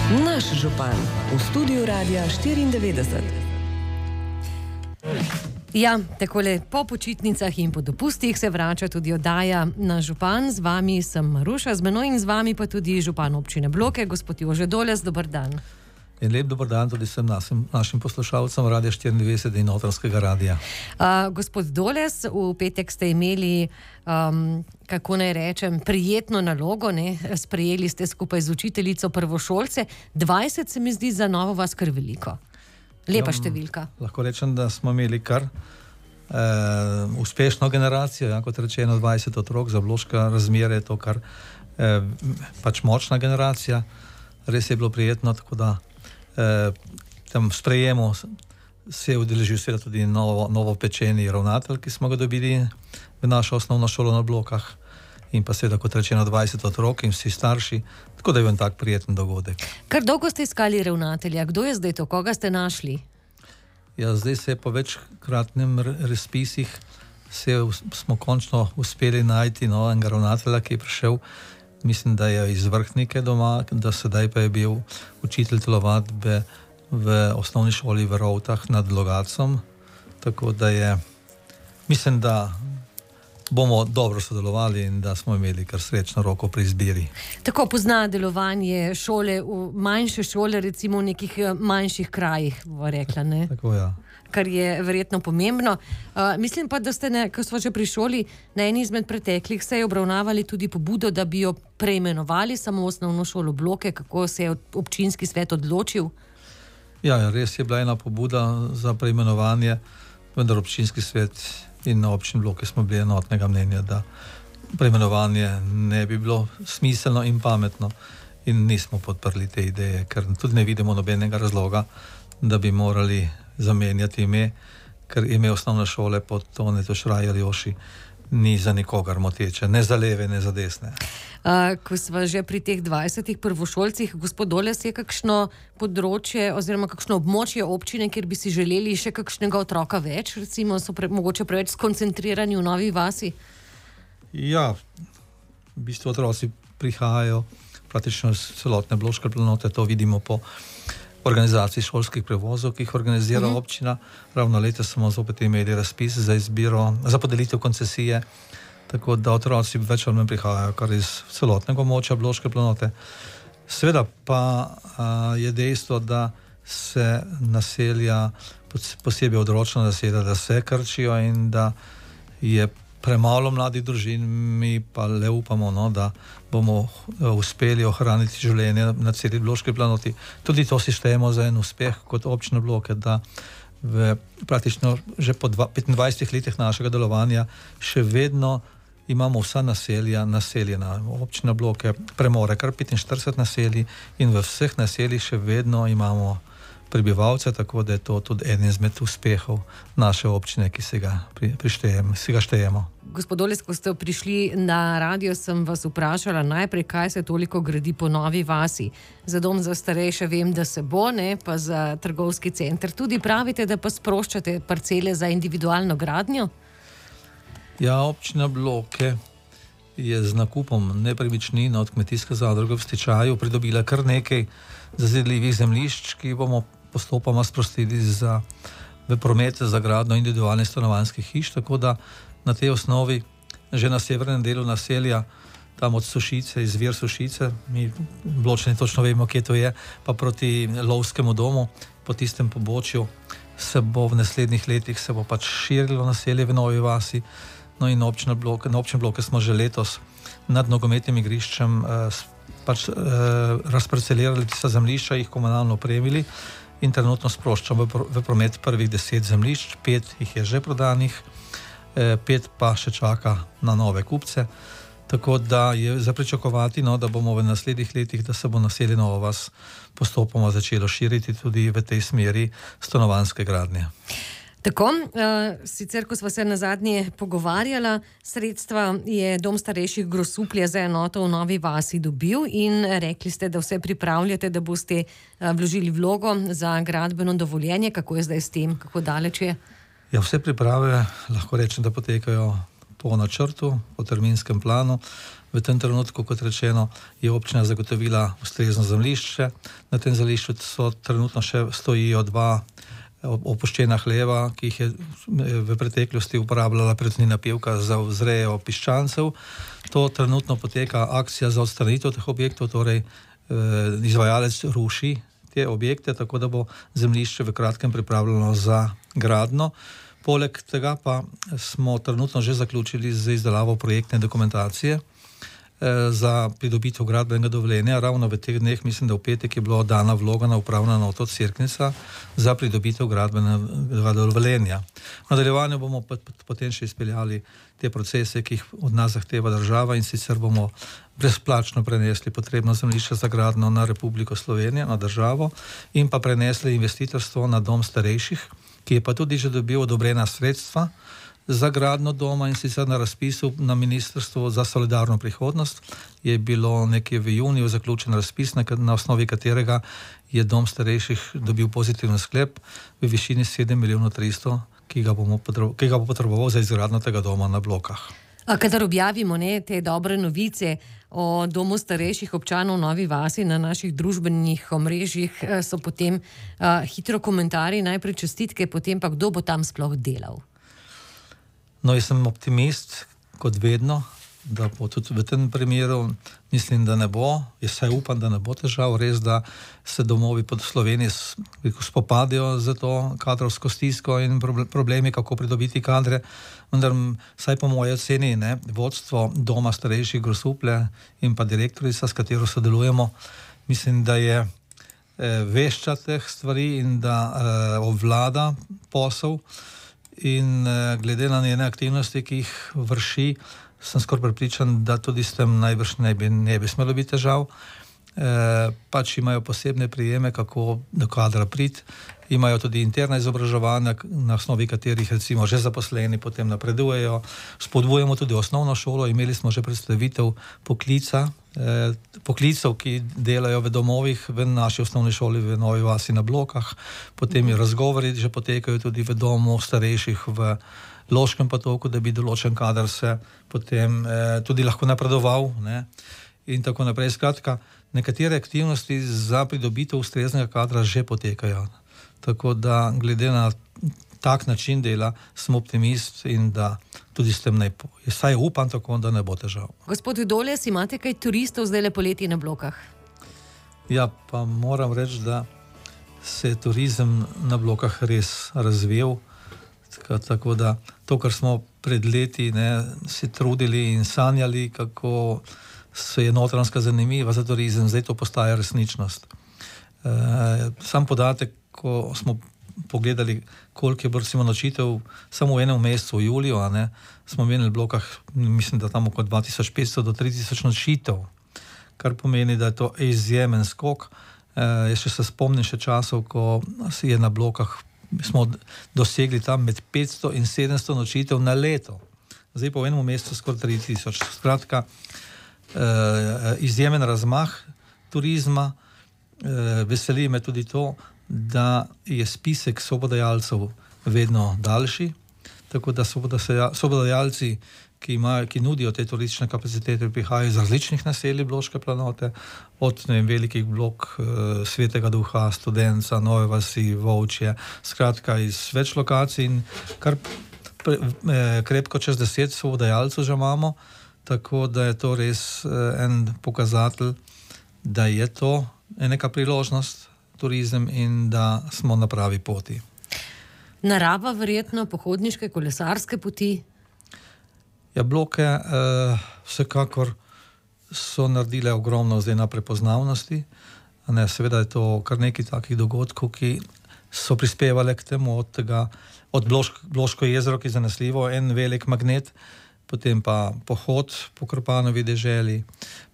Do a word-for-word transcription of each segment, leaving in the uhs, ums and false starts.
Naš župan v studiu Radia štiriindevetdeset. Ja, takole po počitnicah in po dopustih se vrača tudi oddaja Naš župan. Z vami sem Maruša, z menoj in z vami pa tudi župan občine Bloke, gospod Jože Doles. Dober dan. In lep dober dan tudi vsem našim, našim poslušalcem Radia štiriindevetdeset in Notranjskega radia. Uh, gospod Doles, v petek ste imeli, um, kako naj rečem, prijetno nalogo, ne? Sprejeli ste skupaj z učiteljico prvošolce. dvajset se mi zdi za Novo vas kar veliko. Lepa ja, številka. Lahko rečem, da smo imeli kar eh, uspešno generacijo, ja, kot rečeno dvajset otrok, za bloška razmere je to kar eh, pač močna generacija. Res je bilo prijetno, tako da eh, tam sprejemu se je udeležil seveda tudi novo, novo pečeni ravnatelj, ki smo ga dobili v našo osnovno šolo na Blokah, in pa seveda, kot rečeno, dvajset otrok in vsi starši, tako da je bil tak prijeten dogodek. Kar dolgo ste iskali ravnatelja, kdo je zdaj to, koga ste našli? Ja, zdaj se je po večkratnem razpisih se smo končno uspeli najti novega ravnatelja, ki je prišel, mislim, da je iz Vrhnike doma, da sedaj pa je bil učitelj telovadbe v osnovni šoli v Rovtah nad Logacom, tako da je, mislim, da bomo dobro sodelovali in da smo imeli kar srečno roko pri izbiri. Tako pozna delovanje šole, v manjše šole, recimo v nekih manjših krajih, bo rekla, ne? Tako, ja. Kar je verjetno pomembno. Uh, mislim pa, da ste, ne, ko smo že pri šoli, na eni izmed preteklih se je obravnavali tudi pobudo, da bi jo preimenovali samo osnovno šolo Bloke, kako se je občinski svet odločil? Ja, res je bila ena pobuda za preimenovanje, vendar občinski svet in na občini Bloke smo bili enotnega mnenja, da preimenovanje ne bi bilo smiselno in pametno, in nismo podprli te ideje, ker tudi ne vidimo nobenega razloga, da bi morali zamenjati ime, ker ime osnovne šole pod Toneto Šraj ali Joši ni za nikogar moteče, ne za leve, ne za desne. Uh, ko sva že pri teh dvajsetih prvošolcih, gospod Doles, je kakšno področje oziroma kakšno območje občine, kjer bi si želeli še kakšnega otroka več, recimo so pre, mogoče preveč skoncentrirani v Novi vasi? Ja, v bistvu otroci prihajajo praktično iz celotne bloške planote, to vidimo po organizaciji šolskih prevozov, ki jih organizira uh-huh. občina. Ravno letos smo zopet imeli razpis za izbiro, za podelitev koncesije, tako da otroci več ali manj prihajajo kar iz celotnega območja bloške planote. Seveda pa a, je dejstvo, da se naselja, posebej odročna naselja, da se krčijo in da je premalo mladih družin. Mi pa le upamo, no, da bomo uspeli ohraniti življenje na celi bloški planoti. Tudi to si štejemo za en uspeh kot občina Bloke, da v praktično že po petindvajsetih letih našega delovanja še vedno imamo vsa naselja naseljena. Občina Bloke premore kar petinštirideset naselij in v vseh naseljih še vedno imamo prebivalce, tako da je to tudi en izmed uspehov naše občine, ki se ga, pri, prištejem, si ga štejemo. Gospod Doles, ko ste prišli na radio, sem vas vprašala najprej, kaj se toliko gradi po Novi vasi. Za dom za starejše vem, da se bo, ne, pa za trgovski center. Tudi pravite, da pa sproščate parcele za individualno gradnjo? Ja, občina Bloke je z nakupom nepremičnin od kmetijske zadruge v stečaju pridobila kar nekaj zazidljivih zemljišč, ki bomo postopoma sprostili za, v promet za gradnjo individualnih stanovanjskih hiš, tako da na tej osnovi že na severnem delu naselja, tam od Sušice, izvir Sušice, mi Bločani točno vemo, kje to je, pa proti Lovskemu domu, po tistem pobočju se bo v naslednjih letih se bo pač širilo naselje v Novi vasi. No in občina Bloke, na občini Bloke smo že letos nad nogometnim igriščem eh, pač eh, razparcelirali tista zemljišča, jih komunalno opremili in trenutno sproščamo v, v promet prvih deset zemljišč, pet jih je že prodanih, eh, pet pa še čaka na nove kupce, tako da je za pričakovati, no, da bomo v naslednjih letih, da se bo naselje Nova vas postopoma začelo širiti tudi v tej smeri stanovanjske gradnje. Tako, uh, sicer, ko sva se nazadnje pogovarjala, sredstva je Dom starejših Grosuplje za enoto v Novi vasi dobil in rekli ste, da vse pripravljate, da boste uh, vložili vlogo za gradbeno dovoljenje. Kako je zdaj s tem? Kako daleč je? Ja, vse priprave lahko rečem, da potekajo po načrtu, po terminskem planu. V tem trenutku, kot rečeno, je občina zagotovila ustrezno zemljišče. Na tem zemljišču so trenutno še stojijo dva opuščena hleva, ki jih je v preteklosti uporabljala Perutnina Pivka za vzrejo piščancev. To trenutno poteka akcija za odstranitev teh objektov, torej izvajalec ruši te objekte, tako da bo zemljišče v kratkem pripravljeno za gradnjo. Poleg tega pa smo trenutno že zaključili z izdelavo projektne dokumentacije za pridobitev gradbenega dovoljenja. Ravno v teh dneh, mislim, da v petek je bila dana vloga na upravno enoto Cerknica za pridobitev gradbenega dovoljenja. V nadaljevanju bomo potem še izpeljali te procese, ki jih od nas zahteva država, in sicer bomo brezplačno prenesli potrebno zemljišče za gradnjo na Republiko Slovenijo, na državo, in pa prenesli investitorstvo na dom starejših, ki je pa tudi že dobil odobrena sredstva za gradnjo doma, in sicer na razpisu na Ministrstvu za solidarno prihodnost je bilo nekje v juniju zaključen razpis, na osnovi katerega je dom starejših dobil pozitiven sklep v višini sedem milijonov tristo, ki ga bomo ki ga bo potreboval za izgradnjo tega doma na Blokah. A kadar objavimo ne, te dobre novice o domu starejših občanov v Novi Vasi na naših družbenih omrežjih, so potem uh, hitro komentarji, najprej čestitke, potem pa kdo bo tam sploh delal? No, jaz sem optimist, kot vedno, da bo tudi v tem primeru, mislim, da ne bo, jaz saj upam, da ne bo težav, res, da se domovi po Sloveniji spopadajo z to kadrovsko stisko in problemi, kako pridobiti kadre, vendar saj po moje oceni, ne, vodstvo doma starejših Grosuplje in pa direktorica, s katero sodelujemo, mislim, da je eh, vešča teh stvari in da eh, obvlada posel. In glede na njene aktivnosti, ki jih vrši, sem skoraj prepričan, da tudi s tem najbrž ne bi, ne bi smelo biti težav. E, pač imajo posebne prijeme, kako do kadra priti, imajo tudi interna izobraževanja, na osnovi katerih recimo že zaposleni potem napredujejo. Spodbujamo tudi osnovno šolo, imeli smo že predstavitev poklica, eh, poklicov, ki delajo v domovih v naši osnovni šoli v Novi Vasi na Blokah, potem je razgovori že potekajo tudi v domu starejših v Loškem Potoku, da bi določen kader se potem eh, tudi lahko napredoval, ne, in tako naprej. Skratka, nekatere aktivnosti za pridobitev ustreznega kadra že potekajo. Tako da glede na tak način dela sem optimist in da tudi s tem ne bo. Saj upam tako, da ne bo težav. Gospod Vidoljes, imate kaj turistov zdaj le poleti na Blokah? Ja, pa moram reči, da se je turizem na Blokah res razvijal. Tako, tako da to, kar smo pred leti ne, si trudili in sanjali, kako se je Notranjska zanimiva za turizem, zdaj to postaja resničnost. E, sam podatek, ko smo pogledali, koliko je bilo nočitev samo v enem mesecu, v juliju, a ne, smo imeli v Blokah, mislim, da tam okoli dva tisoč petsto do tri tisoč nočitev, kar pomeni, da je to izjemen skok. E, jaz še se spomnim še časov, ko je na Blokah, smo dosegli tam med petsto in sedemsto nočitev na leto. Zdaj pa v enem mesecu skoraj tri tisoč. Skratka, e, izjemen razmah turizma. E, veseli me tudi to, da je spisek sobodajalcev vedno daljši, tako da sobodajalci, ki, imajo, ki nudijo te turistične kapacitete, prihajajo iz različnih naselij Bloške planote, od ne vem, velikih blok e, Svetega Duha, Studenca, Nove Vasi, Volčje, skratka iz več lokacij, in kar pre, e, krepko čez deset sobodajalcev že imamo, tako da je to res e, en pokazatelj, da je to neka priložnost, turizem, in da smo na pravi poti. Narava verjetno, pohodniške, kolesarske poti? Ja, Bloke eh, vsekakor so naredile ogromno zdaj na prepoznavnosti. Ne, seveda je to kar nekaj takih dogodkov, ki so prispevali k temu, od tega, od Blošk, Bloško jezero, ki je zanesljivo, en velik magnet, potem pa pohod po Krpanovi deželi,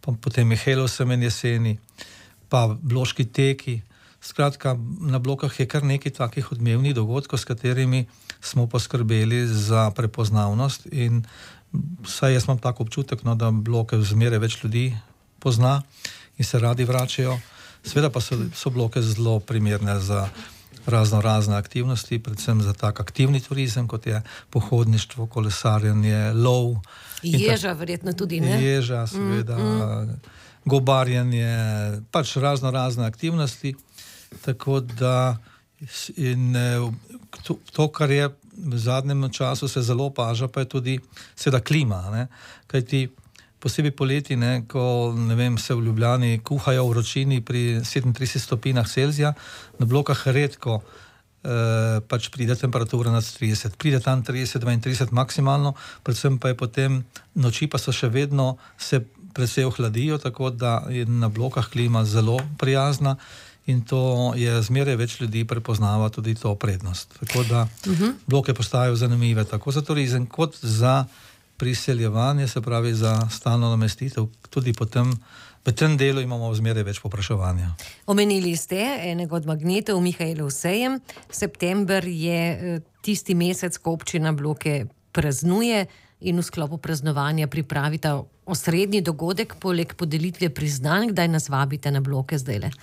pa potem Mihelov semen jeseni, pa Bloški teki. Skratka, na Blokah je kar nekaj takih odmevnih dogodkov, s katerimi smo poskrbeli za prepoznavnost, in saj jaz imam tako občutek, no, da Bloke zmeraj več ljudi pozna in se radi vračajo. Seveda pa so, so Bloke zelo primerne za razno razne aktivnosti, predvsem za tak aktivni turizem, kot je pohodništvo, kolesarjenje, lov. Ježa, verjetno tudi, ne? Ježa, seveda, mm, mm. gobarjenje, pač razno razne aktivnosti. Tako da in to, to, kar je v zadnjem času se zelo opaža, pa je tudi seveda klima, ne? Kajti posebej poleti, ne, ko ne vem, se v Ljubljani kuhajo v vročini pri sedemintridesetih stopinjah Celzija, na blokah redko eh, pač pride temperatura nad trideset. Pride tam trideset, dvaintrideset maksimalno, predvsem pa je potem noči pa so še vedno se precej ohladijo, tako da je na blokah klima zelo prijazna. In to je zmeraj več ljudi prepoznava tudi to prednost. Tako da uh-huh. bloke postajajo zanimive tako za turizem, kot za priseljevanje, se pravi za stalno namestitev. Tudi potem v tem delu imamo zmeraj več povpraševanja. Omenili ste enega od magnetov, Mihaelov sejem. September je tisti mesec, ko občina bloke praznuje in v sklopu praznovanja pripravita osrednji dogodek, poleg podelitve priznanj. Kdaj nas vabite na bloke zdajle?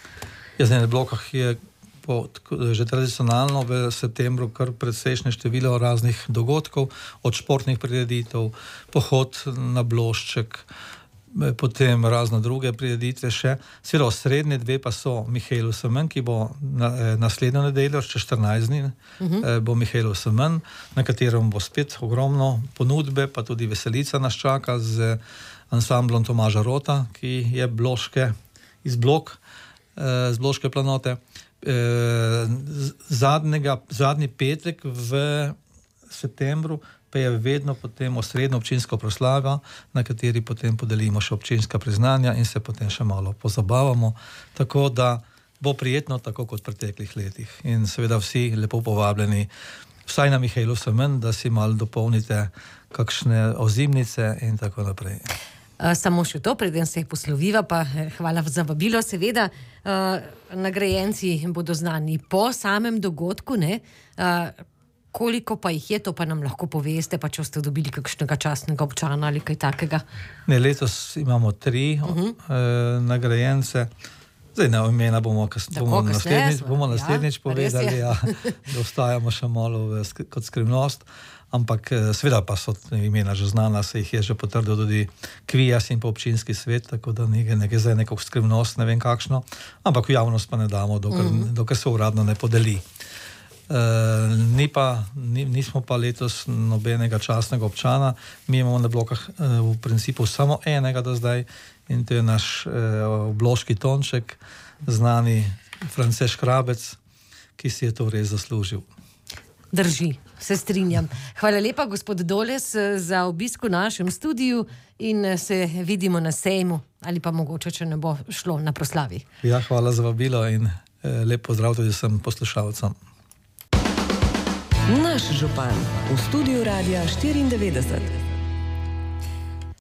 Jaz na blokah je po, že tradicionalno v septembru kar predsejšnje število raznih dogodkov, od športnih prireditev, pohod na Blošček, potem razno druge prireditve še. Seveda osrednje dve pa so Mihaelov semen, ki bo na, naslednjo nedeljo, še štirinajst dni, uh-huh. bo Mihaelov semen, na katerem bo spet ogromno ponudbe, pa tudi veselica nas čaka z ansamblom Tomaža Rota, ki je Bloške iz Blok, z Bloške planote. Zadnjega, zadnji petek v septembru pa je vedno potem osrednja občinska proslava, na kateri potem podelimo še občinska priznanja in se potem še malo pozabavamo, tako da bo prijetno, tako kot v preteklih letih. In seveda vsi lepo povabljeni, vsaj na Mihaelov semen, da si malo dopolnite kakšne ozimnice in tako naprej. Samo še to, preden se jih posloviva, pa hvala za vabilo, seveda. Nagrajenci bodo znani po samem dogodku, ne? Koliko pa jih je, to pa nam lahko poveste, pa če ste dobili kakšnega častnega občana ali kaj takega? Ne, letos imamo tri uh-huh. eh, nagrajence. Zdaj, ne, imena bomo, kas, bomo naslednjič, bomo naslednjič ja, povedali, ja, da ostajamo še malo v, kot skrivnost. Ampak seveda pa so imena že znana, se jih je že potrdil tudi Kvijas in pa občinski svet, tako da nekaj, nekaj zdaj neko skrivnost, ne vem kakšno, ampak v javnost pa ne damo, dokler, mm. dokler se uradno ne podeli. E, ni pa, ni, nismo pa letos nobenega častnega občana, mi imamo na blokah e, v principu samo enega do zdaj in to je naš e, bloški tonček, znani Frances Škrabec, ki si je to res zaslužil. Drži, se strinjam. Hvala lepa, gospod Doles, za obisk v našem studiu in se vidimo na sejmu ali pa mogoče, če ne bo šlo na proslavi. Ja, hvala za vabilo in eh, lep pozdrav tudi vsem poslušalcem. Naš župan v studiu Radia štiriindevetdeset.